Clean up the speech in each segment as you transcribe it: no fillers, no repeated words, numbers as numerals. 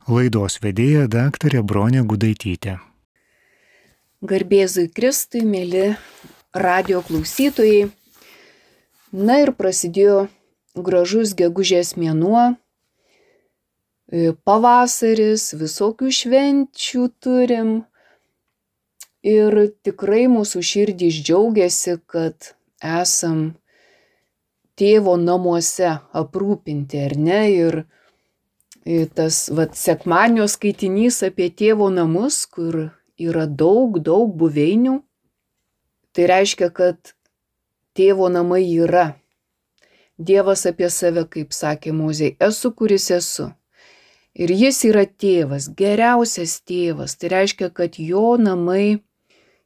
Laidos vedėja daktarė Bronė Gudaitytė. Garbėzui Kristui, mėly radio klausytojai. Na ir prasidėjo gražus gegužės mėnuo, pavasaris, visokių švenčių turim. Ir tikrai mūsų širdys džiaugiasi, kad esam tėvo namuose aprūpinti, ar ne? Ir tas sekmadienio skaitinys apie tėvo namus, kur yra daug buveinių. Tai reiškia, kad tėvo namai yra. Dievas apie save, kaip sakė Mozė, esu, kuris esu. Ir jis yra tėvas, geriausias tėvas. Tai reiškia, kad jo namai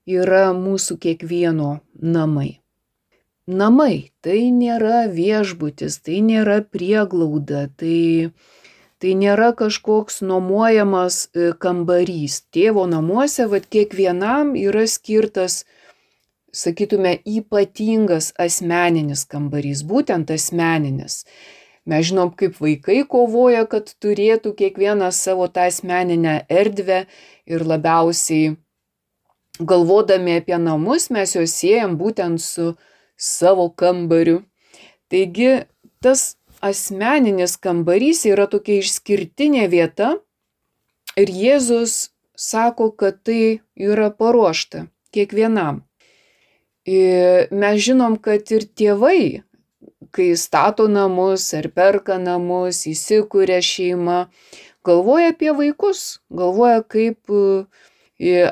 yra mūsų kiekvieno namai. Namai tai nėra viešbutis, tai nėra prieglauda, tai nėra kažkoks nuomojamas kambarys. Tėvo namuose kiekvienam yra skirtas, sakytume, ypatingas asmeninis kambarys, būtent asmeninis. Mes žinom, kaip vaikai kovoja, kad turėtų kiekvienas savo tą asmeninę erdvę ir labiausiai galvodami apie namus mes juos siejam būtent su savo kambariu. Taigi tas asmeninis kambarys yra tokia išskirtinė vieta ir Jėzus sako, kad tai yra paruošta kiekvienam. Ir mes žinom, kad ir tėvai, kai stato namus ar perka namus, įsikuria šeimą, galvoja apie vaikus, galvoja, kaip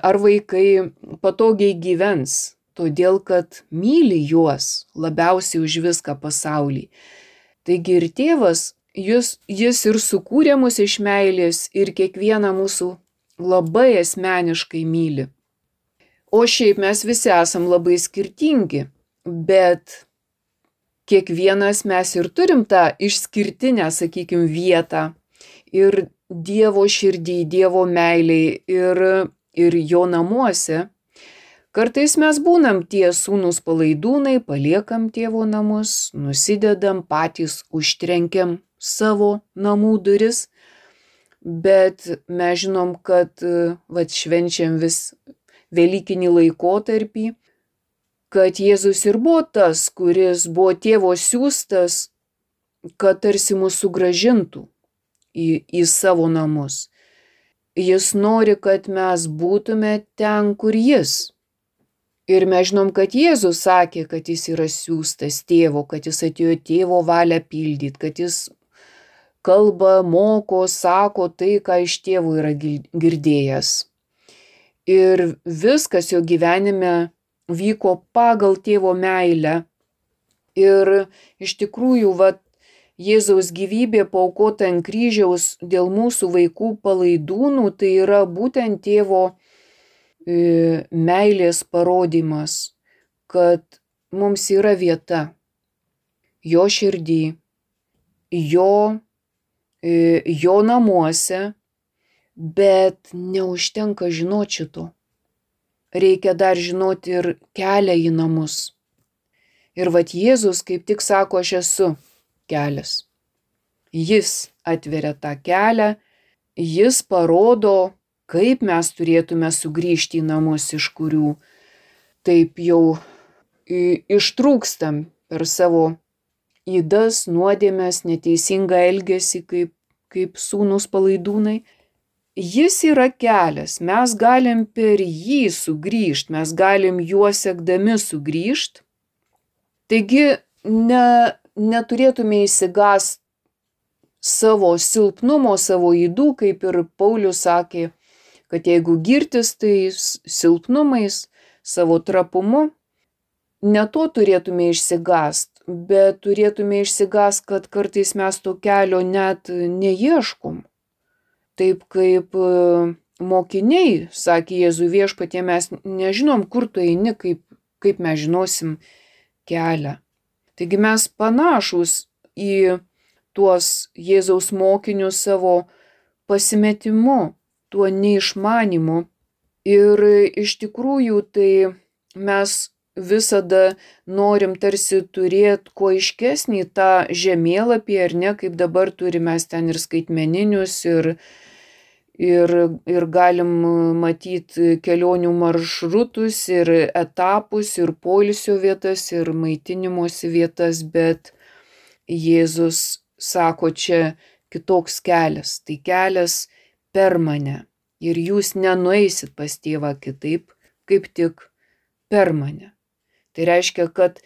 ar vaikai patogiai gyvens, todėl kad myli juos labiausiai už viską pasauly. Taigi ir tėvas, jis ir sukūrė mus iš meilės ir kiekvieną mūsų labai asmeniškai myli. O šiaip mes visi esam labai skirtingi, bet kiekvienas mes ir turim tą išskirtinę, sakykim, vietą ir Dievo širdį, Dievo meiliai ir jo namuose. Kartais mes būnam tie sūnūs palaidūnai, paliekam tėvo namus, nusidedam, patys užtrenkiam savo namų duris, bet mes žinom, kad švenčiam vis Velykinį laikotarpį, kad Jėzus ir buvo tas, kuris buvo tėvo siųstas, kad tarsi mus sugrąžintų į savo namus. Jis nori, kad mes būtume ten, kur jis. Ir mes žinom, kad Jėzus sakė, kad jis yra siųstas tėvo, kad jis atėjo tėvo valią pildyti, kad jis kalba, moko, sako tai, ką iš tėvo yra girdėjęs. Ir viskas jo gyvenime vyko pagal tėvo meilę. Ir iš tikrųjų, Jėzaus gyvybė paaukota ant kryžiaus dėl mūsų vaikų palaidūnų, tai yra būtent tėvo meilės parodymas, kad mums yra vieta jo širdį, jo namuose, bet neužtenka žinoti šito. Reikia dar žinoti ir kelią į namus. Ir Jėzus kaip tik sako, aš esu kelias. Jis atveria tą kelią, jis parodo, kaip mes turėtume sugrįžti į namus, iš kurių taip jau ištrūkstam per savo ydas, nuodėmes, neteisingą elgesį kaip sūnūs palaidūnai. Jis yra kelias, mes galim per jį sugrįžti, mes galim juo sekdami sugrįžti. Taigi neturėtume išsigąsti savo silpnumo, savo ydų, kaip ir Paulius sakė, kad jeigu girtis tai silpnumais, savo trapumu, ne to turėtume išsigąsti, bet turėtume išsigąsti, kad kartais mes to kelio net neieškom. Taip kaip mokiniai, sakė Jėzui, Viešpatie, mes nežinom, kur tu eini, kaip mes žinosim kelią. Taigi mes panašūs į tuos Jėzaus mokinius savo pasimetimu, tuo neišmanimu. Ir iš tikrųjų tai mes visada norim tarsi turėti kuo aiškesnį tą žemėlapį, ar ne, kaip dabar turime ten ir skaitmeninius, ir galim matyti kelionių maršrutus, ir etapus, ir poilsio vietas, ir maitinimosi vietas, bet Jėzus sako, čia kitoks kelias. Tai kelias per mane. Ir jūs nenueisit pas tėvą kitaip, kaip tik per mane. Tai reiškia, kad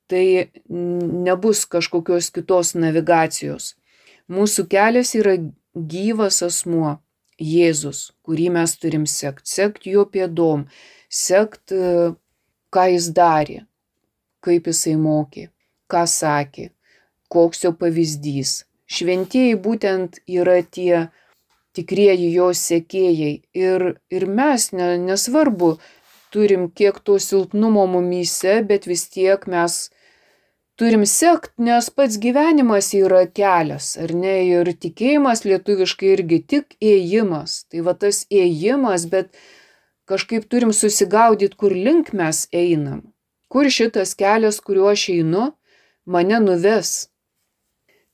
tai nebus kažkokios kitos navigacijos. Mūsų kelias yra gyvas asmuo, Jėzus, kurį mes turim sekt. Sekt jo pėdom, sekt, ką jis darė, kaip jisai mokė, ką sakė, koks jo pavyzdys. Šventieji būtent yra tie tikrieji jo sekėjai. Ir mes, nesvarbu, turim kiek to silpnumo mumyse, bet vis tiek mes turim sekt, nes pats gyvenimas yra kelias, ar ne? Ir tikėjimas lietuviškai irgi tik ėjimas. Tai va tas ėjimas, bet kažkaip turim susigaudyti, kur link mes einam. Kur šitas kelias, kuriuo aš einu, mane nuves.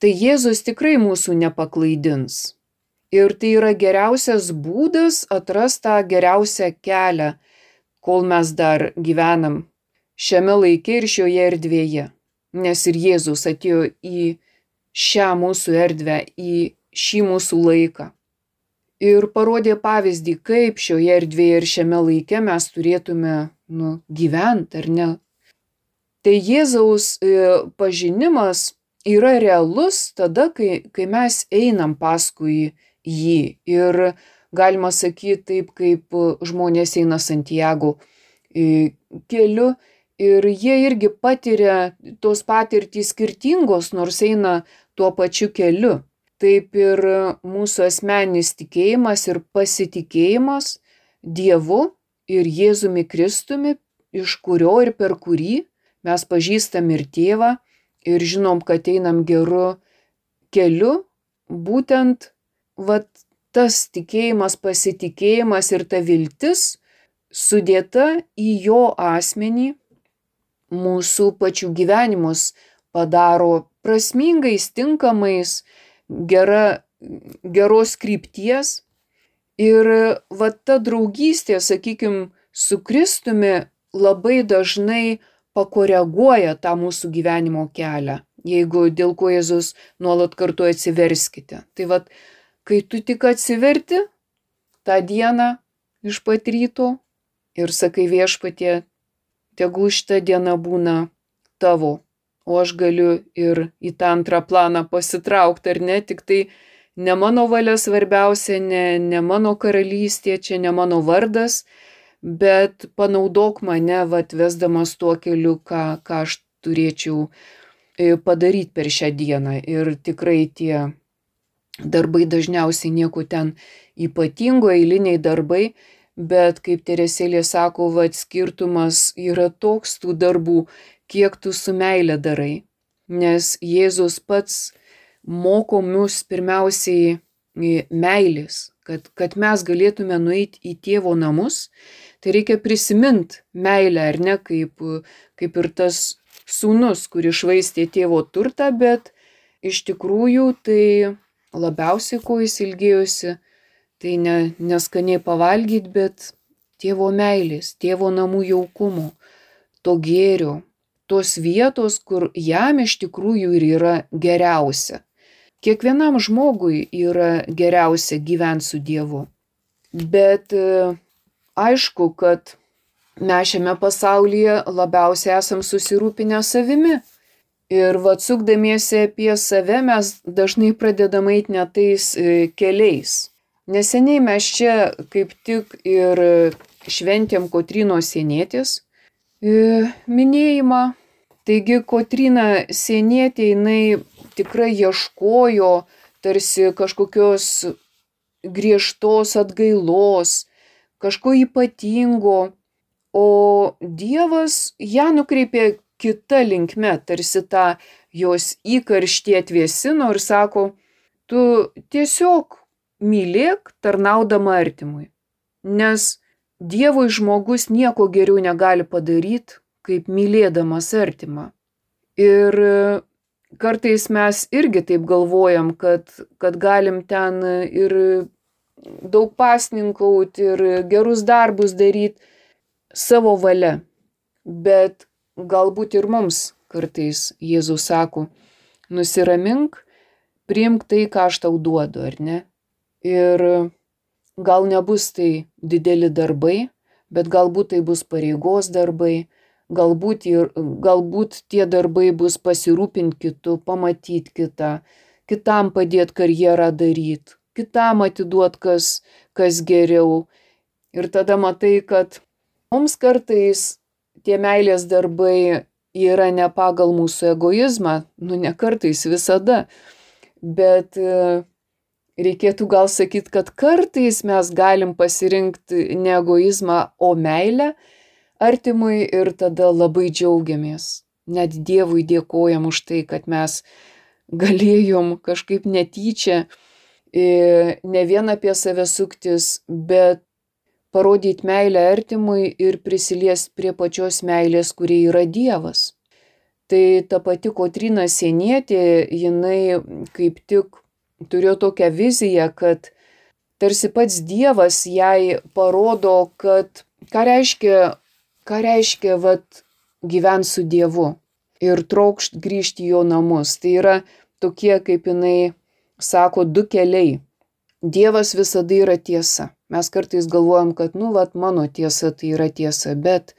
Tai Jėzus tikrai mūsų nepaklaidins. Ir tai yra geriausias būdas atrasti tą geriausią kelią, kol mes dar gyvenam šiame laike ir šioje erdvėje. Nes ir Jėzus atėjo į šią mūsų erdvę, į šį mūsų laiką. Ir parodė pavyzdį, kaip šioje erdvėje ir šiame laike mes turėtume gyventi, ar ne. Tai Jėzaus pažinimas yra realus tada, kai mes einam paskui jį. Ir galima sakyti taip, kaip žmonės eina Santiago keliu. Ir jie irgi patiria tos patirtys skirtingos, nors eina tuo pačiu keliu. Taip ir mūsų asmeninis tikėjimas ir pasitikėjimas Dievu ir Jėzumi Kristumi, iš kurio ir per kurį mes pažįstam ir tėvą ir žinom, kad einam geru keliu, būtent tas tikėjimas, pasitikėjimas ir ta viltis sudėta į jo asmenį mūsų pačių gyvenimus padaro prasmingais, tinkamais, geros krypties. Ir ta draugystė, sakykim, su Kristumi labai dažnai pakoreguoja tą mūsų gyvenimo kelią, jeigu dėl ko Jėzus nuolat kartu atsiverskite. Tai kai tu tik atsiverti tą dieną iš pat ryto ir sakai Viešpatie, tegul šita diena būna tavo, o aš galiu ir į tą antrą planą pasitraukti, ar ne, tik tai ne mano valia svarbiausia, ne mano karalystė, čia ne mano vardas, bet panaudok mane, vesdamas tuo keliu, ką aš turėčiau padaryti per šią dieną. Ir tikrai tie darbai dažniausiai nieko ten ypatingo, eiliniai darbai, bet kaip Teresėlė sako, skirtumas yra toks tų darbų, kiek tu su meile darai. Nes Jėzus pats moko mus pirmiausiai meilės, kad mes galėtume nueiti į tėvo namus, tai reikia prisiminti meilę, ar ne, kaip ir tas sūnus, kuris švaistė tėvo turtą, bet iš tikrųjų tai labiausiai, ko jis ilgėjosi, tai neskaniai pavalgyti, bet tėvo meilės, tėvo namų jaukumo, to gėrio, tos vietos, kur jam iš tikrųjų ir yra geriausia. Kiekvienam žmogui yra geriausia gyventi su Dievu. Bet aišku, kad mes šiame pasaulyje labiausiai esam susirūpinę savimi. Ir sukdamiesi apie save mes dažnai pradedam eiti ne tais keliais. Neseniai mes čia kaip tik ir šventėm Kotrynos Sienietės minėjimą. Taigi Kotryna Sienietė, jinai tikrai ieškojo tarsi kažkokios griežtos atgailos, kažko ypatingo, o Dievas ją nukreipė kita linkme, tarsi tą jos įkarštį atvėsino ir sako, tu tiesiog mylėk tarnaudama artimui, nes Dievui žmogus nieko geriau negali padaryti, kaip mylėdamas artimą. Ir kartais mes irgi taip galvojam, kad galim ten ir daug pasninkauti ir gerus darbus daryti savo valia. Bet galbūt ir mums kartais Jėzus sako, nusiramink, priimk tai, ką aš tau duodu, ar ne? Ir gal nebus tai dideli darbai, bet galbūt tai bus pareigos darbai, galbūt tie darbai bus pasirūpinti kitu, pamatyti kitą, kitam padėti karjerą daryti, kitam atiduoti kas geriau. Ir tada matai, kad mums kartais tie meilės darbai yra ne pagal mūsų egoizmą, ne kartais, visada, bet reikėtų gal sakyti, kad kartais mes galim pasirinkti ne egoizmą, o meilę artimui ir tada labai džiaugiamės. Net Dievui dėkojam už tai, kad mes galėjom kažkaip netyčia ne vien apie save suktis, bet parodyti meilę artimui ir prisiliesti prie pačios meilės, kuri yra Dievas. Tai ta pati Kotryna Sienietė, jinai kaip tik turėjo tokią viziją, kad tarsi pats Dievas jai parodo, kad ką reiškia gyventi su Dievu ir trokšt grįžti į jo namus. Tai yra tokie, kaip jinai sako, du keliai. Dievas visada yra tiesa. Mes kartais galvojam, kad mano tiesa tai yra tiesa, bet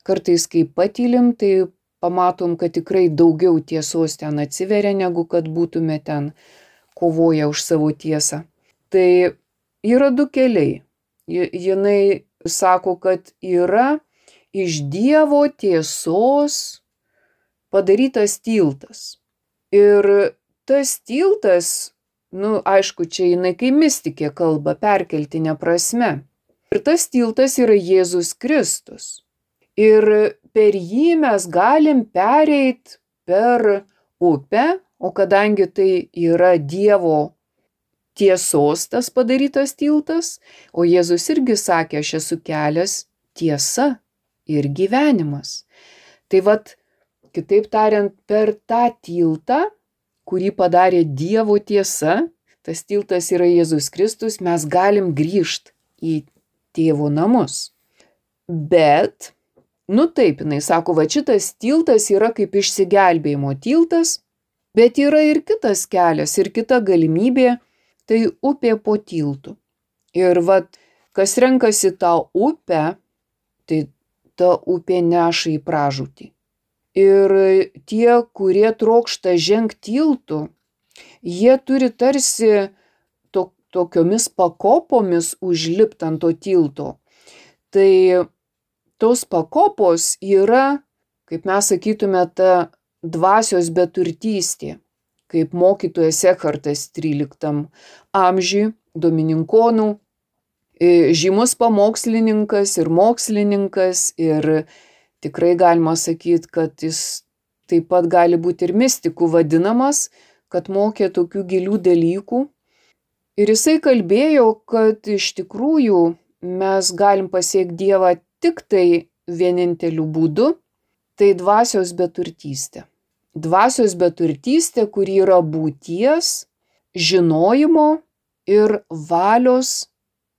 kartais kai patylim, tai pamatom, kad tikrai daugiau tiesos ten atsiveria, negu kad būtume ten kovoja už savo tiesą. Tai yra du keliai. Jinai sako, kad yra iš Dievo tiesos padarytas tiltas. Ir tas tiltas, aišku, čia jinai kai mistikė kalba, perkeltinė prasme. Ir tas tiltas yra Jėzus Kristus. Ir per jį mes galim pereit per upę, o kadangi tai yra Dievo tiesos tas padarytas tiltas, o Jėzus irgi sakė, aš esu kelias, tiesa ir gyvenimas. Tai kitaip tariant, per tą tiltą, kurį padarė Dievo tiesa, tas tiltas yra Jėzus Kristus, mes galim grįžti į Tėvo namus. Bet, taip, jinai sako, šitas tiltas yra kaip išsigelbėjimo tiltas, bet yra ir kitas kelias, ir kita galimybė, tai upė po tiltu. Ir kas renkasi tą upę, tai ta upė neša į pražūtį. Ir tie, kurie trokšta žengti tiltu, jie turi tarsi tokiomis pakopomis užlipti ant to tilto. Tai tos pakopos yra, kaip mes sakytume, ta dvasios beturtystė, kaip mokytojas Ekhartas 13 amžiui, domininkonų, žymus pamokslininkas ir mokslininkas, ir tikrai galima sakyti, kad jis taip pat gali būti ir mistikų vadinamas, kad mokė tokių gilių dalykų. Ir jisai kalbėjo, kad iš tikrųjų mes galim pasiekti Dievą tik tai vieninteliu būdu, tai dvasios beturtystė. Dvasios beturtystė, kuri yra būties, žinojimo ir valios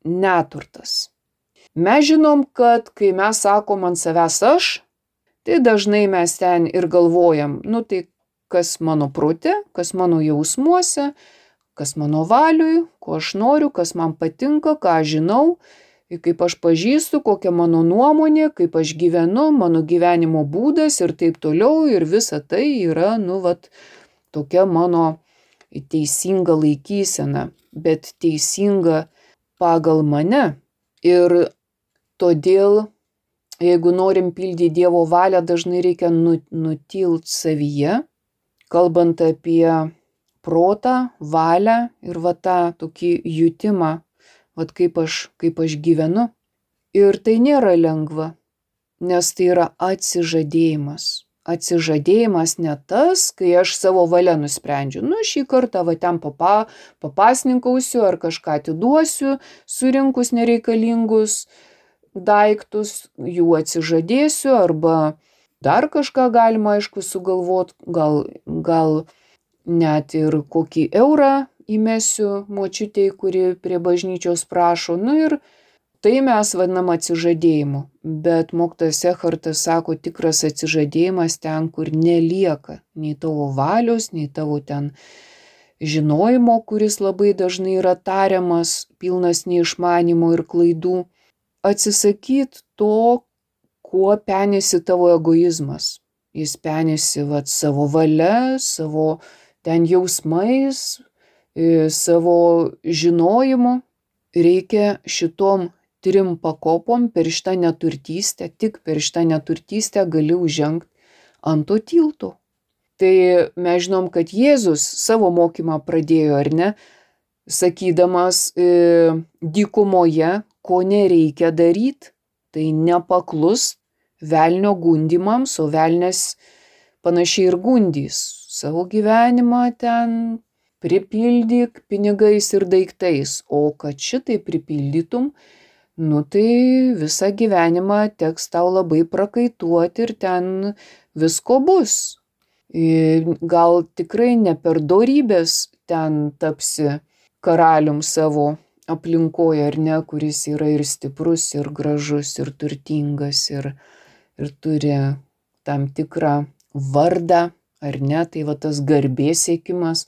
neturtas. Mes žinom, kad kai mes sakom ant savęs aš, tai dažnai mes ten ir galvojam, tai kas mano prote, kas mano jausmuose, kas mano valiui, ko aš noriu, kas man patinka, ką aš žinau, kaip aš pažįstu, kokia mano nuomonė, kaip aš gyvenu, mano gyvenimo būdas ir taip toliau. Ir visa tai yra, tokia mano teisinga laikysena, bet teisinga pagal mane. Ir todėl, jeigu norim pildyti Dievo valią, dažnai reikia nutilt savyje, kalbant apie protą, valią ir tą tokį jutimą, kaip aš gyvenu. Ir tai nėra lengva, nes tai yra atsižadėjimas. Atsižadėjimas ne tas, kai aš savo valia nusprendžiu, šį kartą ten papasninkausiu ar kažką atiduosiu, surinkus nereikalingus daiktus, jų atsižadėsiu, arba dar kažką galima, aišku, sugalvot, gal net ir kokį eurą įmesiu močiutei, kuri prie bažnyčios prašo. Nu ir tai mes vadinam atsižadėjimu. Bet mokytojas Ekhartas sako, tikras atsižadėjimas ten, kur nelieka nei tavo valios, nei tavo ten žinojimo, kuris labai dažnai yra tariamas, pilnas neišmanimo ir klaidų. Atsisakyt to, kuo penėsi tavo egoizmas. Jis penėsi savo valia, savo ten jausmais, savo žinojimu. Reikia šitom 3 pakopom per šitą neturtystę, tik per šitą neturtystę gali užžengti ant to tilto. Tai mes žinom, kad Jėzus savo mokymą pradėjo, ar ne, sakydamas dykumoje, ko nereikia daryti, tai nepaklust velnio gundymams, o velnias panašiai ir gundys. Savo gyvenimą ten pripildyk pinigais ir daiktais, o kad šitai pripildytum, nu tai visą gyvenimą teks tau labai prakaituoti ir ten visko bus. Gal tikrai ne per dorybės ten tapsi karalium savo aplinkoje, ar ne, kuris yra ir stiprus, ir gražus, ir turtingas, ir turi tam tikrą vardą, ar ne, tai va tas garbės siekimas.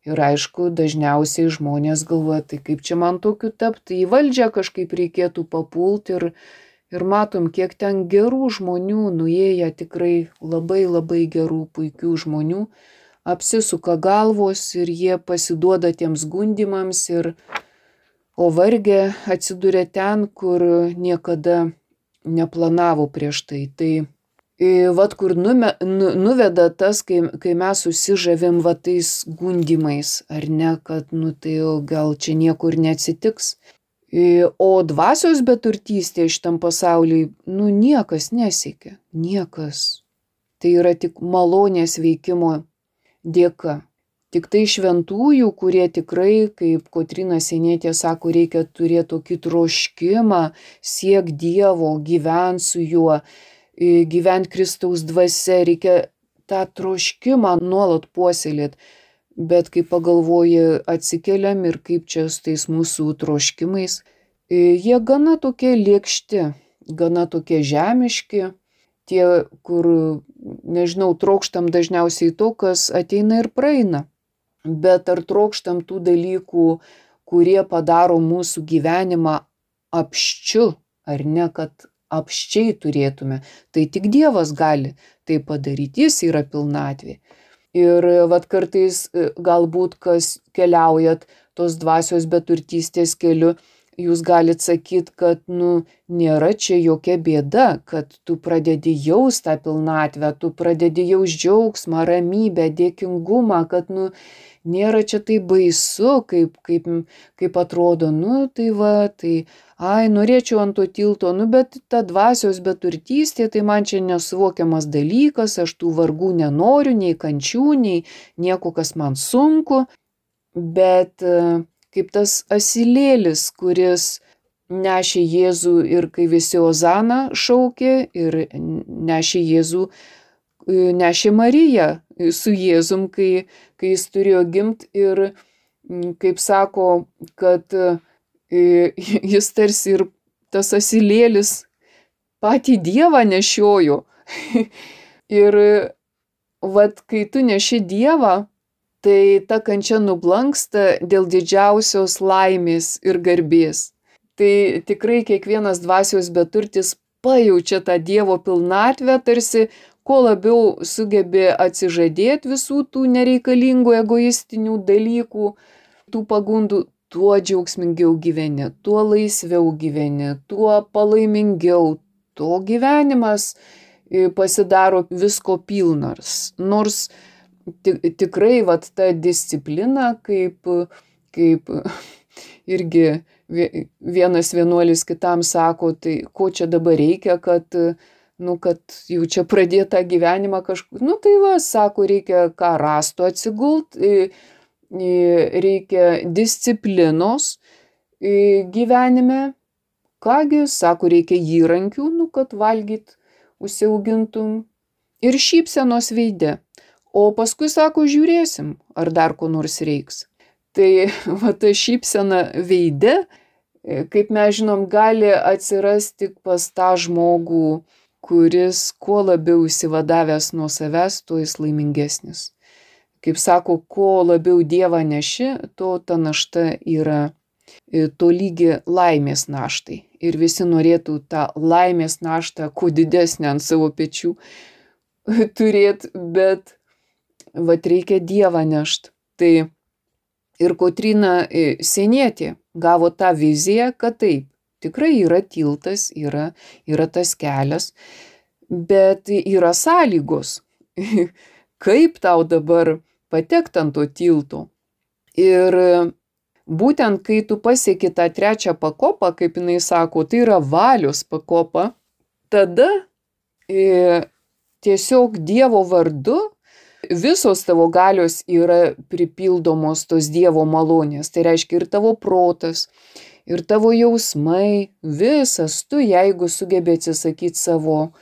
Ir aišku, dažniausiai žmonės galvoja, tai kaip čia man tokiu tapti, į valdžią kažkaip reikėtų papulti ir matom, kiek ten gerų žmonių, nuėję tikrai labai labai gerų, puikių žmonių, apsisuka galvos ir jie pasiduoda tiems gundymams o vargė atsiduria ten, kur niekada neplanavo prieš tai. Tai vat kur nuveda tas, kai mes susižavim va tais gundymais, ar ne, kad nu tai gal čia niekur neatsitiks. O dvasios beturtystė šitam pasauliui, nu niekas nesiekia, niekas. Tai yra tik malonės veikimo dėka. Tik tai šventųjų, kurie tikrai, kaip Kotryna Sienietė sako, reikia turėti tokį troškimą, siek Dievo, gyvent su juo, gyvent Kristaus dvasia, reikia tą troškimą nuolat puoselėti. Bet kai pagalvoji, atsikeliam ir kaip čia su tais mūsų troškimais, jie gana tokie lėkšti, gana tokie žemiški, tie, kur, nežinau, trokštam dažniausiai to, kas ateina ir praeina. Bet ar trokštam tų dalykų, kurie padaro mūsų gyvenimą apščiu, ar ne, kad apščiai turėtume, tai tik Dievas gali tai padaryti, jis yra pilnatvė. Ir vat kartais galbūt, kas keliaujat tos dvasios beturtystės keliu, jūs galit sakyti, kad nėra čia jokia bėda, kad tu pradedi jaust tą pilnatvę, tu pradedi jaust džiaugsmą, ramybę, dėkingumą, kad nėra čia tai baisu, kaip atrodo, tai va, tai norėčiau ant to tilto, bet ta dvasios beturtystė, tai man čia nesuvokiamas dalykas, aš tų vargų nenoriu, nei kančių, nei nieko, kas man sunku, bet kaip tas asilėlis, kuris nešė Jėzų ir kai visi Ozana šaukė ir nešė Jėzų, nešė Mariją su Jėzum, kai jis turėjo gimti ir kaip sako, kad jis tarsi ir tas asilėlis patį Dievą nešiojo. Ir vat kai tu neši Dievą, tai ta kančia nublanksta dėl didžiausios laimės ir garbės. Tai tikrai kiekvienas dvasios beturtis pajaučia tą Dievo pilnatvę, tarsi kuo labiau sugebė atsižadėti visų tų nereikalingų egoistinių dalykų, tų pagundų, tuo džiaugsmingiau gyveni, tuo laisviau gyveni, tuo palaimingiau, tuo gyvenimas pasidaro visko pilnas. Nors tikrai vat ta disciplina, kaip irgi vienas vienuolis kitam sako, tai ko čia dabar reikia, kad jau čia pradėta gyvenimą kažkur, tai va, sako, reikia ką rasto atsigult, reikia disciplinos gyvenime, kągi, sako, reikia įrankių, kad valgyt užsiaugintum ir šypsenos veide. O paskui, sako, žiūrėsim, ar dar ko nors reiks. Tai va ta šypsena veide, kaip mes žinom, gali atsirasti tik pas tą žmogų, kuris kuo labiau išsivadavęs nuo savęs, tuo jis laimingesnis. Kaip sako, kuo labiau Dievą neši, to ta našta yra tolygi laimės naštai. Ir visi norėtų tą laimės naštą kuo didesnę ant savo pečių turėti, bet vat reikia Dievą nešt. Tai ir Kotryna Sienietė gavo tą viziją, kad taip, tikrai yra tiltas, yra tas kelias, bet yra sąlygos, kaip tau dabar patekti ant to tilto. Ir būtent kai tu pasieki tą trečią pakopą, kaip jinai sako, tai yra valios pakopa, tada tiesiog Dievo vardu visos tavo galios yra pripildomos tos Dievo malonės. Tai reiškia ir tavo protas, ir tavo jausmai, visas tu, jeigu sugebi atsisakyti savo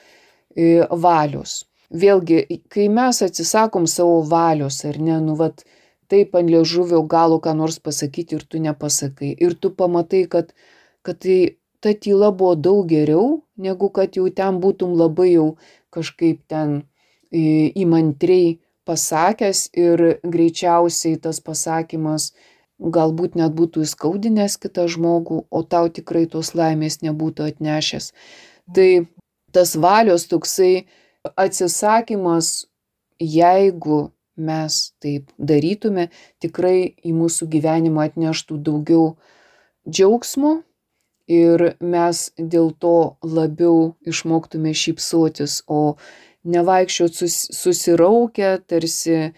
valios. Vėlgi, kai mes atsisakom savo valios, ar ne, taip ant liežuvio galo ką nors pasakyti ir tu nepasakai. Ir tu pamatai, kad ta tyla buvo daug geriau, negu kad jau ten būtum labai jau kažkaip ten įmantriai pasakęs ir greičiausiai tas pasakymas galbūt net būtų įskaudinęs kitą žmogų, o tau tikrai tos laimės nebūtų atnešęs. Tai tas valios toksai atsisakymas, jeigu mes taip darytume, tikrai į mūsų gyvenimą atneštų daugiau džiaugsmo ir mes dėl to labiau išmoktume šypsotis, o nevaikščiot susiraukę, tarsi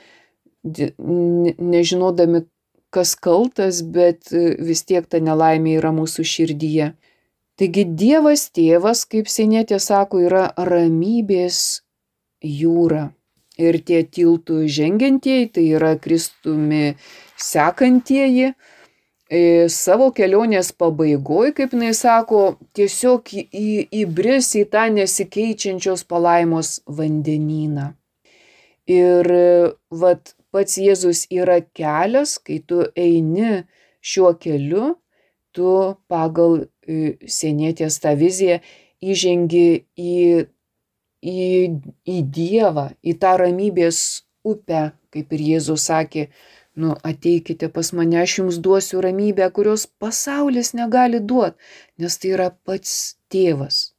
nežinodami, kas kaltas, bet vis tiek ta nelaimė yra mūsų širdyje. Taigi Dievas Tėvas, kaip Sienietė sako, yra ramybės jūra. Ir tie tiltų žengiantieji, tai yra Kristumi sekantieji, savo kelionės pabaigoje, kaip jinai sako, tiesiog įbris į tą nesikeičiančios palaimos vandenyną. Ir pats Jėzus yra kelias, kai tu eini šiuo keliu, tu pagal Sienietės tą viziją įžengi į Dievą, į tą ramybės upę, kaip ir Jėzus sakė, ateikite pas mane, aš jums duosiu ramybę, kurios pasaulis negali duoti, nes tai yra pats Tėvas.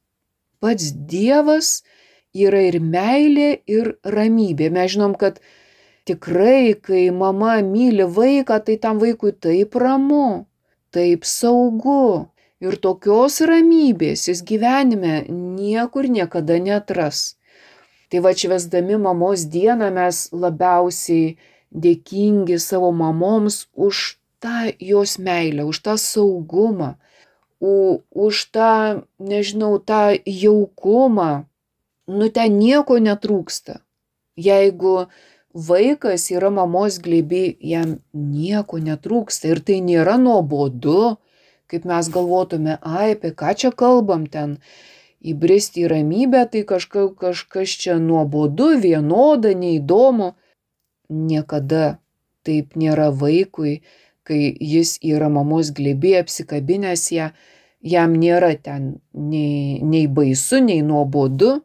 Pats Dievas yra ir meilė, ir ramybė. Mes žinom, kad tikrai, kai mama myli vaiką, tai tam vaikui taip ramu, taip saugu. Ir tokios ramybės jis gyvenime niekur niekada neatras. Tai švęsdami mamos dieną mes labiausiai dėkingi savo mamoms už tą jos meilę, už tą saugumą, už tą, tą jaukumą. Ten nieko netrūksta. Jeigu vaikas yra mamos glėby, jam nieko netrūksta ir tai nėra nuobodu, kaip mes galvotume, apie ką čia kalbam ten, įbristi į ramybę, tai kažkas čia nuobodu, vienoda, neįdomu. Niekada taip nėra vaikui, kai jis yra mamos glėby, apsikabinęs ją, jam nėra ten nei baisu, nei nuobodu.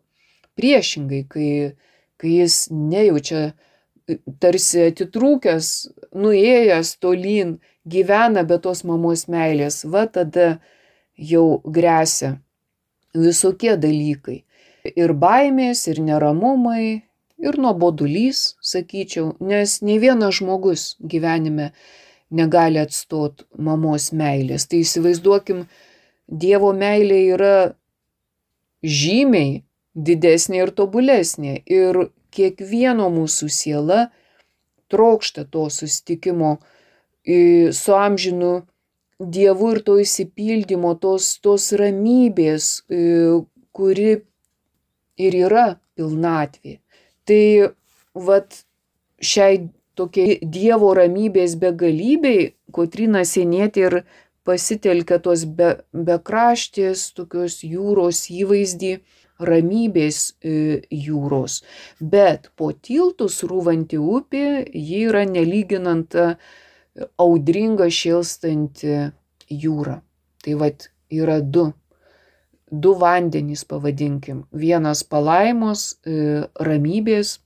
Priešingai, kai jis nejaučia tarsi atitrūkęs, nuėjęs tolyn, gyvena be tos mamos meilės, tada jau gresia visokie dalykai. Ir baimės, ir neramumai, ir nuobodulys, sakyčiau, nes nei vienas žmogus gyvenime negali atstot mamos meilės. Tai įsivaizduokim, Dievo meilė yra žymiai didesnė ir tobulesnė. Ir kiekvieno mūsų siela trokšta to susitikimo su amžinu Dievu ir to išsipildymo, tos ramybės, kuri ir yra pilnatvė. Tai šiai tokiai Dievo ramybės begalybei Kotryna Sienietė ir pasitelkia tos bekraštės tokios jūros įvaizdį, ramybės jūros. Bet po tiltu srūvanti upė, ji yra nelyginant audringa šėlstanti jūra. Tai vat yra du vandenys, pavadinkim. Vienas palaimos, ramybės,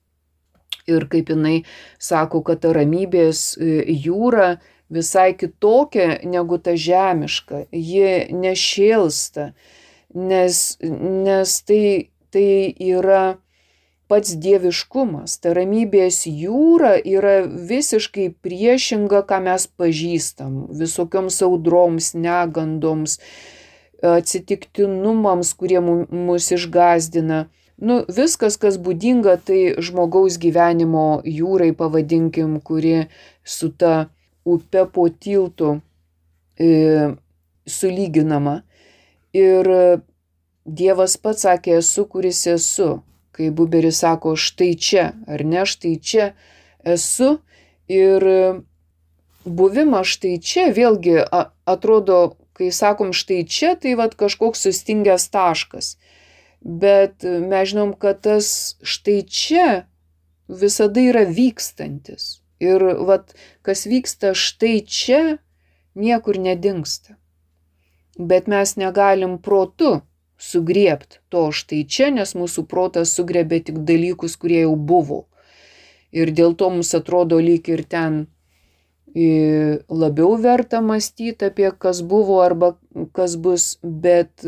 ir kaip jinai sako, kad ta ramybės jūra visai kitokia negu ta žemiška. Ji nešėlsta, nes tai yra pats dieviškumas. Ta ramybės jūra yra visiškai priešinga, ką mes pažįstam. Visokioms audroms, negandoms, atsitiktinumams, kurie mus išgąsdina. Viskas, kas būdinga, tai žmogaus gyvenimo jūrai, pavadinkim, kuri su ta upe po tiltu sulyginama. Ir Dievas pats sakė, esu, kuris esu. Kai Buberis sako, štai čia, ar ne, štai čia esu. Ir buvimas štai čia, vėlgi atrodo, kai sakom štai čia, tai vat kažkoks sustingęs taškas. Bet mes žinom, kad tas štai čia visada yra vykstantis. Ir vat, kas vyksta štai čia, niekur nedingsta. Bet mes negalim protu sugriebti to štai čia, nes mūsų protas sugriebė tik dalykus, kurie jau buvo. Ir dėl to mums atrodo lyg ir ten labiau verta mąstyti apie kas buvo arba kas bus, bet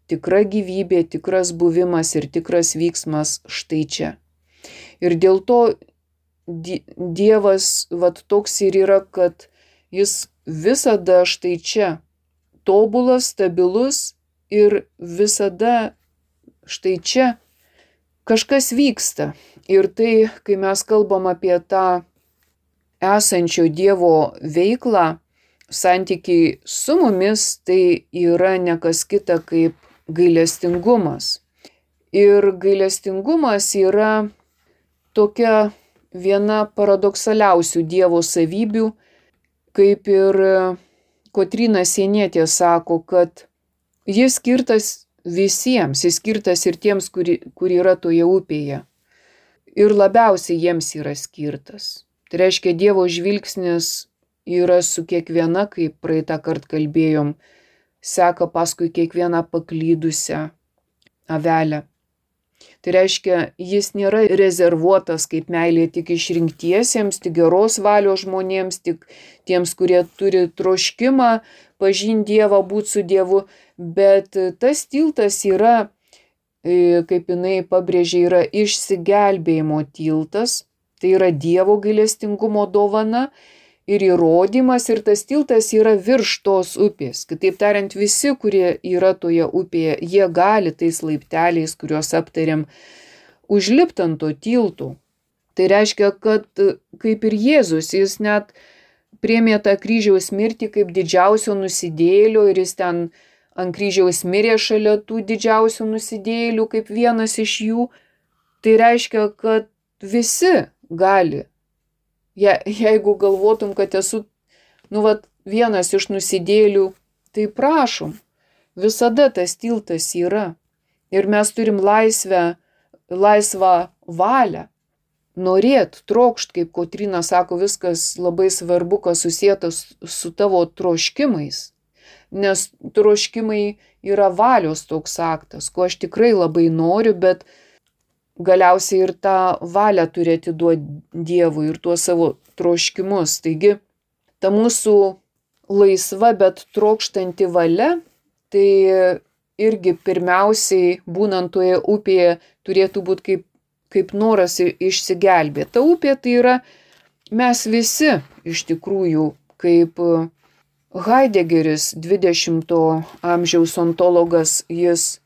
tikra gyvybė, tikras buvimas ir tikras vyksmas štai čia. Ir dėl to Dievas vat toks ir yra, kad jis visada štai čia tobulas, stabilus ir visada štai čia kažkas vyksta. Ir tai, kai mes kalbam apie tą esančio Dievo veiklą, santykiai su mumis, tai yra ne kas kita kaip gailestingumas. Ir gailestingumas yra tokia viena paradoksaliausių Dievo savybių, kaip ir Kotryna Sienietė sako, kad jis skirtas visiems, jis skirtas ir tiems, kurie yra toje upėje. Ir labiausiai jiems yra skirtas. Tai reiškia, Dievo žvilgsnis yra su kiekviena, kaip praeitą kartą kalbėjom, seka paskui kiekvieną paklydusią avelę. Tai reiškia, jis nėra rezervuotas kaip meilė tik išrinktiesiems, tik geros valios žmonėms, tik tiems, kurie turi troškimą pažinti Dievą, būti su Dievu, bet tas tiltas yra, kaip jinai pabrėžė, yra išsigelbėjimo tiltas, tai yra Dievo gailestingumo dovana ir įrodymas, ir tas tiltas yra virš tos upės. Kitaip tariant, visi, kurie yra toje upėje, jie gali tais laipteliais, kuriuos aptarėm, užlipti ant to tiltų. Tai reiškia, kad kaip ir Jėzus, jis net priėmė tą kryžiaus mirtį kaip didžiausio nusidėjėlio ir jis ten ant kryžiaus mirė šalia tų didžiausių nusidėjėlių kaip vienas iš jų. Tai reiškia, kad visi gali. Jeigu galvotum, kad esu vienas iš nusidėjėlių, tai prašom, visada tas tiltas yra. Ir mes turim laisvą valią. Norėt, trokšt, kaip Kotryna sako, viskas labai svarbu, kas susietas su tavo troškimais. Nes troškimai yra valios toks aktas, ko aš tikrai labai noriu, bet galiausiai ir tą valią turi atiduoti Dievui ir tuos savo troškimus. Taigi, ta mūsų laisva, bet trokštanti valia, tai irgi pirmiausiai, būnant toje upėje, turėtų būti kaip noras išsigelbėti. Ta upė tai yra mes visi iš tikrųjų, kaip Haidegeris, 20 amžiaus ontologas, jis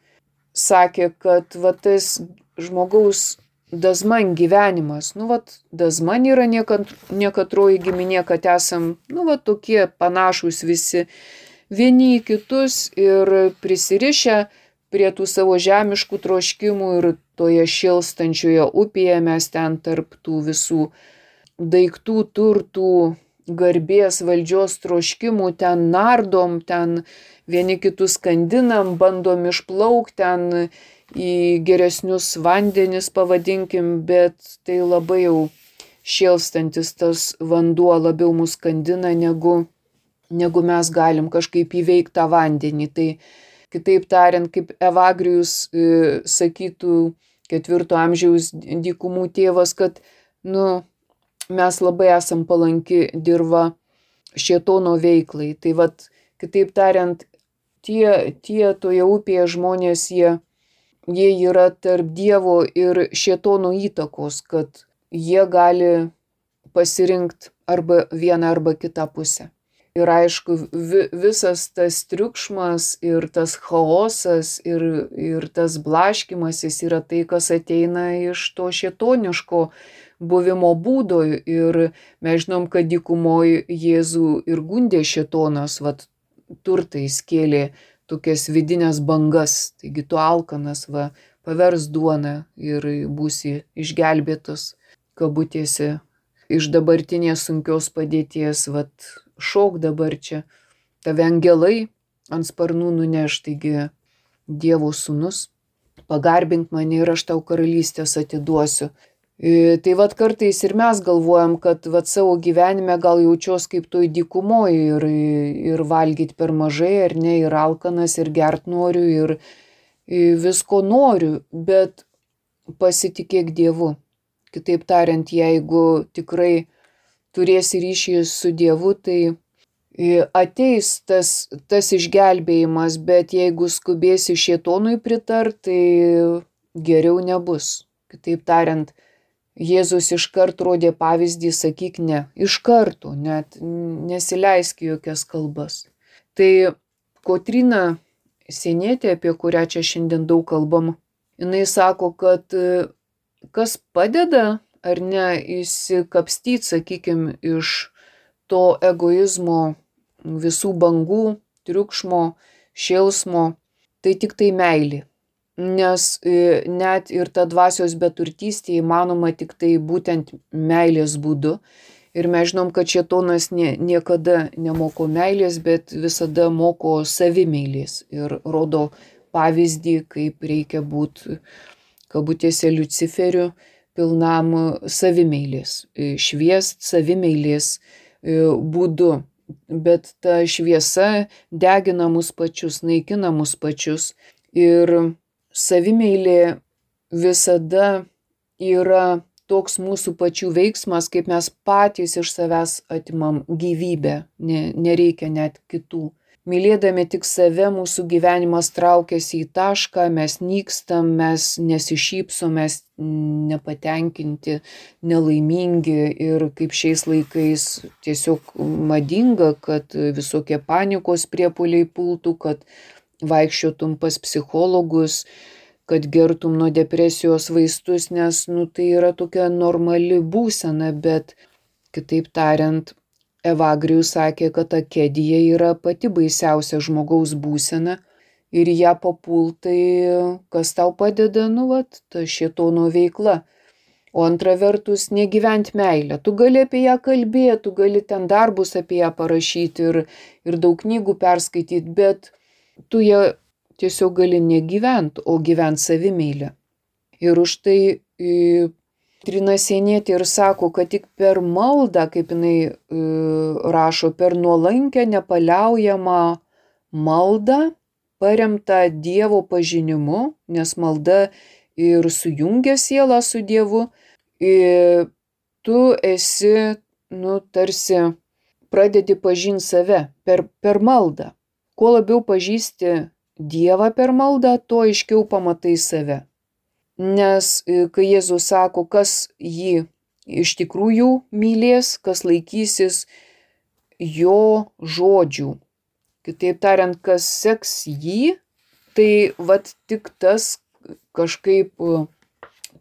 sakė, kad tas žmogaus dazman gyvenimas, dazman yra niekatroji giminė, kad esam, tokie panašus visi vieni į kitus ir prisirišę prie tų savo žemiškų troškimų ir toje šėlstančioje upėje mes ten tarp tų visų daiktų, turtų, garbės, valdžios troškimų, ten nardom, ten vieni kitus skandinam, bandom išplaukti ten į geresnius vandenis, pavadinkim, bet tai labai jau šėlstantis tas vanduo labiau mus skandina, negu mes galim kažkaip įveikti tą vandenį. Tai kitaip tariant, kaip Evagrijus sakytų 4 amžiaus dykumų tėvas, kad mes labai esam palanki dirva šėtono veiklai. Tai vat, kitaip tariant, tie toje upėje žmonės, jie yra tarp Dievo ir šėtono įtakos, kad jie gali pasirinkti arba vieną arba kitą pusę. Ir aišku, visas tas triukšmas ir tas chaosas ir tas blaškymasis yra tai, kas ateina iš to šėtoniško buvimo būdo. Ir mes žinom, kad dykumoje Jėzų ir gundė šėtonas, vat turtais kėlė tokias vidinės bangas. Taigi tu alkanas, pavers duoną ir būsi išgelbėtas, kabutėse, iš dabartinės sunkios padėties, šok dabar čia, tave angelai ant sparnų nuneš, taigi Dievo sūnus, pagarbink mane ir aš tau karalystės atiduosiu. Tai kartais ir mes galvojam, kad savo gyvenime gal jaučios kaip toj dykumoje ir valgyti per mažai, ar ne, ir alkanas, ir gert noriu, ir visko noriu, bet pasitikėk Dievu. Kitaip tariant, jeigu tikrai turėsi ryšį su Dievu, tai ateis tas išgelbėjimas, bet jeigu skubėsi šėtonui pritart, tai geriau nebus. Kitaip tariant, Jėzus iškart rodė pavyzdį, sakyk ne, iš karto, net nesileisk jokias kalbas. Tai Kotryna Sienietė, apie kurią čia šiandien daug kalbam, jinai sako, kad kas padeda ar ne įsikapstyti, sakykime, iš to egoizmo, visų bangų, triukšmo, šėlsmo, tai tik tai meilė. Nes net ir ta dvasios beturtystė įmanoma tik tai būtent meilės būdu. Ir mes žinom, kad šėtonas niekada nemoko meilės, bet visada moko savimeilės. Ir rodo pavyzdį, kaip reikia būti, kabutėse, Liuciferiu, pilnam savimeilės, šviest savimeilės būdu. Bet ta šviesa degina mus pačius, naikina mus pačius. Ir savimeilė visada yra toks mūsų pačių veiksmas, kaip mes patys iš savęs atimam gyvybę, nereikia net kitų. Mylėdami tik save, mūsų gyvenimas traukiasi į tašką, mes nykstam, mes nesišypsom, mes nepatenkinti, nelaimingi ir kaip šiais laikais tiesiog madinga, kad visokie panikos priepuoliai pultų, kad vaikščiotum pas psichologus, kad gertum nuo depresijos vaistus, nes tai yra tokia normali būsena, bet kitaip tariant, Evagrijus sakė, kad akedija yra pati baisiausia žmogaus būsena ir ją papultai, kas tau padeda, ta šėtono veikla. O antra vertus, negyvent meilę. Tu gali apie ją kalbėti, tu gali ten darbus apie ją parašyti ir daug knygų perskaityti, bet tu ją tiesiog gali negyvent, o gyvent savimeilę. Ir už tai Kotryna Sienietė ir sako, kad tik per maldą, kaip jinai rašo, per nuolankę, nepaliaujamą maldą, paremtą Dievo pažinimu, nes malda ir sujungia sielą su Dievu, tu esi, tarsi pradedi pažinti save per maldą. Kuo labiau pažįsti Dievą per maldą, tuo aiškiau pamatai save. Nes kai Jėzus sako, kas jį iš tikrųjų mylės, kas laikysis jo žodžių, kitaip tariant, kas seks jį, tai tik tas kažkaip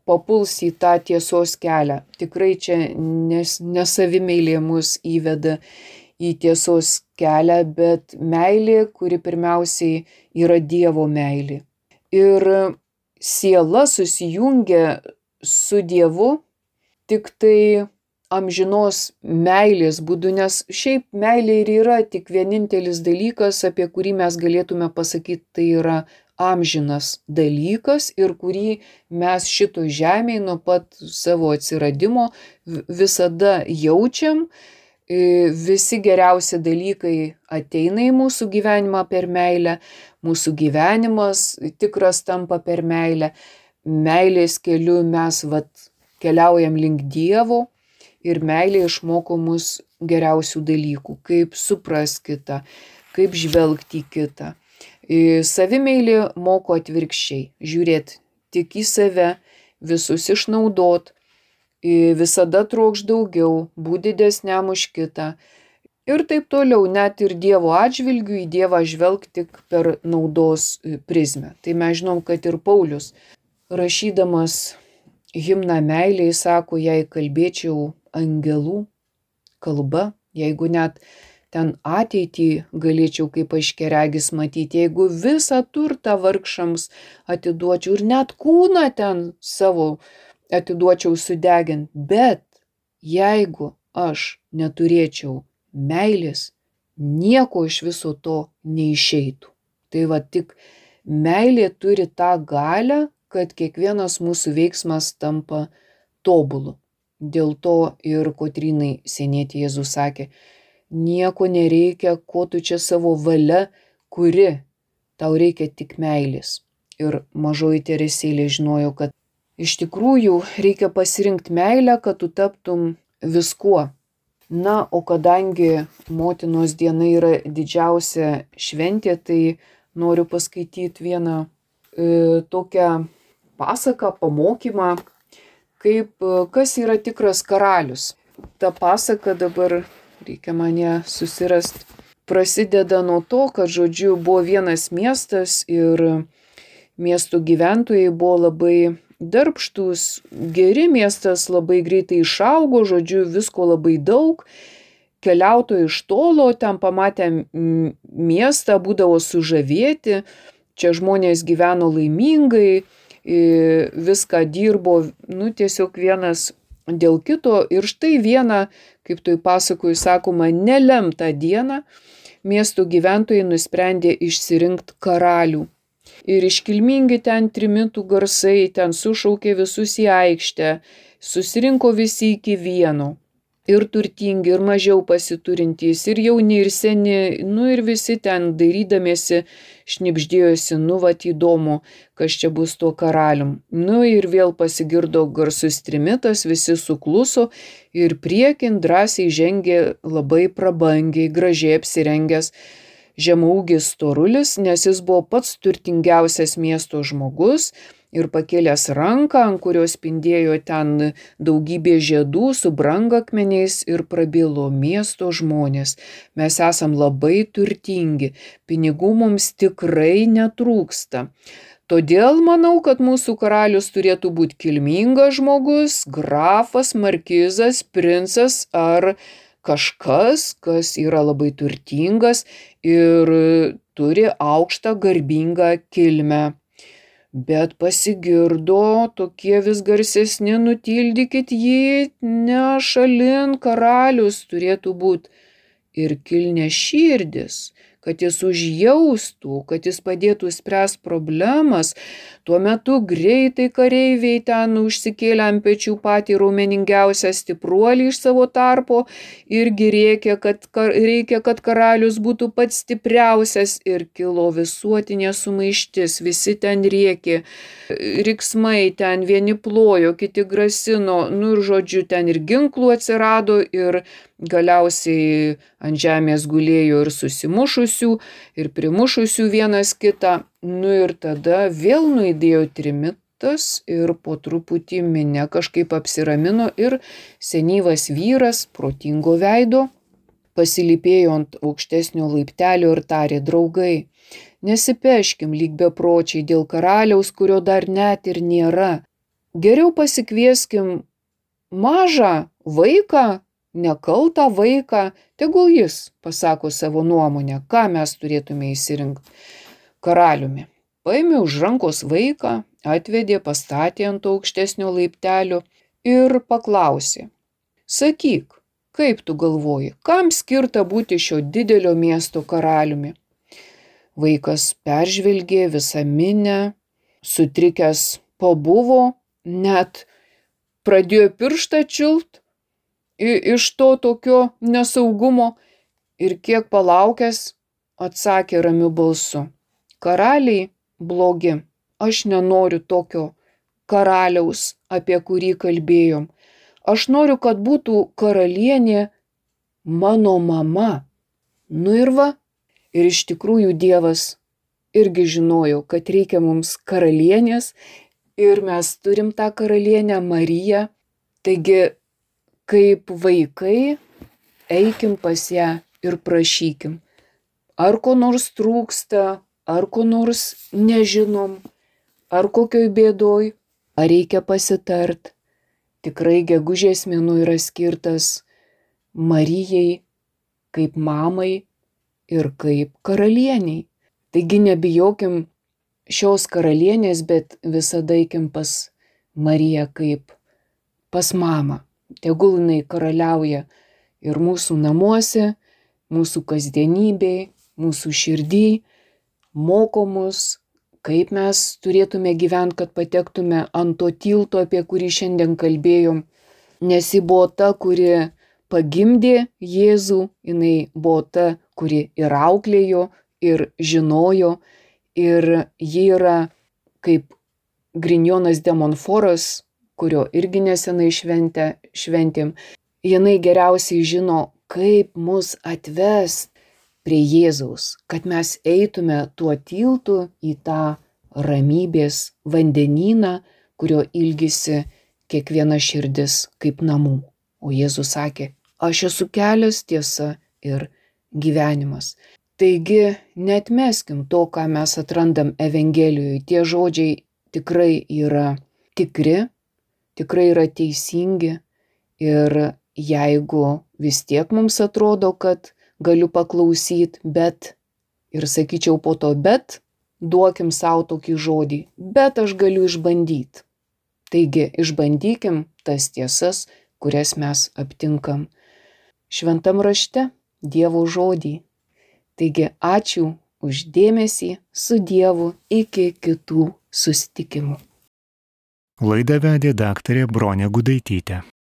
papuls į tą tiesos kelią. Tikrai čia nesavimeilė mus įveda į tiesos kelią, bet meilė, kuri pirmiausiai yra Dievo meilė. Ir siela susijungia su Dievu tik tai amžinos meilės būdu, nes šiaip meilė ir yra tik vienintelis dalykas, apie kurį mes galėtume pasakyti, tai yra amžinas dalykas ir kurį mes šito žemėje nuo pat savo atsiradimo visada jaučiam. Visi geriausi dalykai ateina į mūsų gyvenimą per meilę, mūsų gyvenimas tikras tampa per meilę. Meilės keliu mes keliaujam link Dievo ir meilė išmoko mus geriausių dalykų, kaip supras kitą, kaip žvelgti į kitą. Savimeilė moko atvirkščiai, žiūrėt tik į save, visus išnaudot, visada trokš daugiau, būti didesniam už kitą. Ir taip toliau, net ir Dievo atžvilgiu į Dievą žvelg tik per naudos prizmę. Tai mes žinom, kad ir Paulius, rašydamas himną meilei, sako, jei kalbėčiau angelų kalba, jeigu net ten ateitį galėčiau kaip aiškiaregis matyti, jeigu visą turtą vargšams atiduočiau ir net kūną ten savo atiduočiau sudegint, bet jeigu aš neturėčiau meilės, nieko iš viso to neišeitų. Tai tik meilė turi tą galią, kad kiekvienas mūsų veiksmas tampa tobulu. Dėl to ir Kotrynai Sienietei Jėzus sakė, nieko nereikia, ko tu čia savo valia kuri, tau reikia tik meilės. Ir mažoji Teresėlė žinojo, kad iš tikrųjų reikia pasirinkti meilę, kad tu taptum viskuo. Na, o kadangi motinos diena yra didžiausia šventė, tai noriu paskaityti vieną tokią pasaką, pamokymą, kas yra tikras karalius. Ta pasaka dabar reikia mane susirasti. Prasideda nuo to, kad, buvo vienas miestas ir miesto gyventojai buvo labai darbštūs, geri, miestas labai greitai išaugo, visko labai daug. Keliautojai iš tolo ten pamatę miestą būdavo sužavėti, čia žmonės gyveno laimingai, viską dirbo, tiesiog vienas dėl kito. Ir štai vieną, kaip toj pasakoj sakoma, nelemtą dieną miesto gyventojai nusprendė išsirinkti karalių. Ir iškilmingi ten trimitų garsai, ten sušaukė visus į aikštę, susirinko visi iki vieno. Ir turtingi, ir mažiau pasiturintys, ir jauni, ir seni, ir visi ten dairydamiesi šnibždėjosi, įdomu, kas čia bus tuo karalium. Ir vėl pasigirdo garsus trimitas, visi sukluso ir priekin drąsiai žengė labai prabangiai, gražiai apsirengęs žemaūgis storulis, nes jis buvo pats turtingiausias miesto žmogus. Ir pakėlęs ranką, ant kurios spindėjo ten daugybė žiedų su brangakmeniais, ir prabilo, miesto žmonės, mes esam labai turtingi, pinigų mums tikrai netrūksta. Todėl manau, kad mūsų karalius turėtų būti kilmingas žmogus, grafas, markizas, princas ar kažkas, kas yra labai turtingas ir turi aukštą garbingą kilmę. Bet pasigirdo tokie vis garsesni, nutildykit jį, ne šalin, karalius turėtų būti ir kilniaširdis, kad jis užjaustų, kad jis padėtų spręsti problemas. Tuo metu greitai kareiviai ten užsikėlė ant pečių patį raumeningiausią stipruolį iš savo tarpo irgi reikia, kad karalius būtų pats stipriausias, ir kilo visuotinė sumaištis, visi ten rėkė, riksmai ten, vieni plojo, kiti grasino, ir ten ir ginklų atsirado, ir galiausiai ant žemės gulėjo ir susimušusių, ir primušusių vienas kitą. Ir tada vėl nuaidėjo trimitas ir po truputį minia kažkaip apsiramino ir senyvas vyras, protingo veido, pasilypėjo ant aukštesnio laiptelio ir tarė, draugai, nesipeškim lyg bepročiai dėl karaliaus, kurio dar net ir nėra. Geriau pasikvieskim mažą vaiką, nekaltą vaiką, tegul jis pasako savo nuomonę, ką mes turėtume išsirinkti karaliumi. Paėmė už rankos vaiką, atvedė, pastatė ant aukštesnio laiptelio ir paklausė, sakyk, kaip tu galvoji, kam skirta būti šio didelio miesto karaliumi? Vaikas peržvelgė visą minę, sutrikęs pabuvo, net pradėjo pirštą čiult iš to tokio nesaugumo ir kiek palaukęs atsakė ramiu balsu: karaliai blogi, aš nenoriu tokio karaliaus, apie kurį kalbėjom. Aš noriu, kad būtų karalienė mano mama. Nu ir va, ir iš tikrųjų Dievas irgi žinojo, kad reikia mums karalienės ir mes turim tą karalienę Mariją. Taigi, kaip vaikai, eikim pas ją ir prašykim. Ar ko nors trūksta, ar ko nors nežinom, ar kokioj bėdoj, ar reikia pasitart. Tikrai gegužės mėnuo yra skirtas Marijai kaip mamai ir kaip karalieniai. Taigi nebijokim šios karalienės, bet visada eikim pas Mariją kaip pas mamą. Tegul jinai karaliauja ir mūsų namuose, mūsų kasdienybėj, mūsų širdį, moko mus, kaip mes turėtume gyventi, kad patektume ant to tilto, apie kurį šiandien kalbėjom. Nes ji buvo ta, kuri pagimdė Jėzų, jinai buvo ta, kuri ir auklėjo, ir žinojo, ir ji yra kaip Grignonas de Montfortas, kurio irgi nesenai šventėm. Jinai geriausiai žino, kaip mus atvest prie Jėzaus, kad mes eitume tuo tiltu į tą ramybės vandenyną, kurio ilgisi kiekviena širdis kaip namų. O Jėzus sakė: aš esu kelias, tiesa ir gyvenimas. Taigi neatmeskim to, ką mes atrandam Evangelijoje. Tie žodžiai tikrai yra tikri, tikrai yra teisingi. Ir jeigu vis tiek mums atrodo, kad galiu paklausyti, bet, ir sakyčiau po to bet, duokim savo tokį žodį, bet aš galiu išbandyti. Taigi išbandykim tas tiesas, kurias mes aptinkam Šventam rašte, Dievo žodį. Taigi ačiū už dėmesį, su Dievu, iki kitų susitikimų. Laidą vedė daktarė Bronė Gudaitytė.